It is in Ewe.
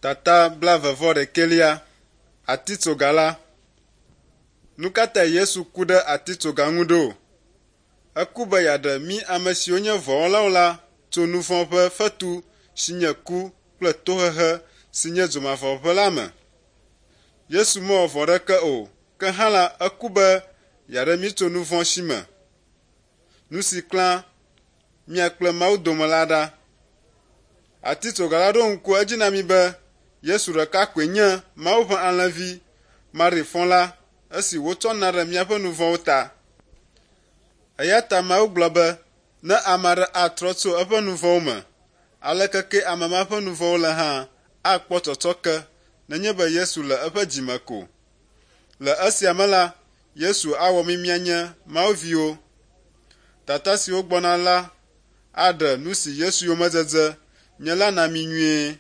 Tata blaeve-vɔ-ɖekɛlia, Atitsoga la. Nu ka tae Yesu ku ɖe atitsoga ŋu ɖo? Eku be yeaɖe mí ame siwo nye vɔ̃wɔlawo la tso nu vɔ̃ ƒe fetu si nye ku kple tohehe si nye dzomavɔʋe la me. Yesu mewɔ vɔ̃ aɖeke o, ke hã la, eku be yeaɖe mí tso nu vɔ̃ si me. Nu si klã mía kple Mawu dome la ɖa. Atitsoga la ɖo ŋku edzi na mí be Yesu ɖeka koe nye Mawu ƒe Alẽvi maɖifɔ la esi wotsɔ na ɖe míaƒe nu vɔ̃wo ta. Eya ta Mawu gblɔ be ne ame aɖe atrɔ tso eƒe nu vɔ̃wo me, aleke kee ame ma ƒe nu vɔ̃wo le hã, akpɔ tsɔtsɔke nenye be Yesu le eƒe dzi me ko. Le esia me la, Yesu awɔ mí míanye Mawu viwo. Tata siwo gbɔna la aɖe nu si Yesu yomedzedze nye la na mí nyuie.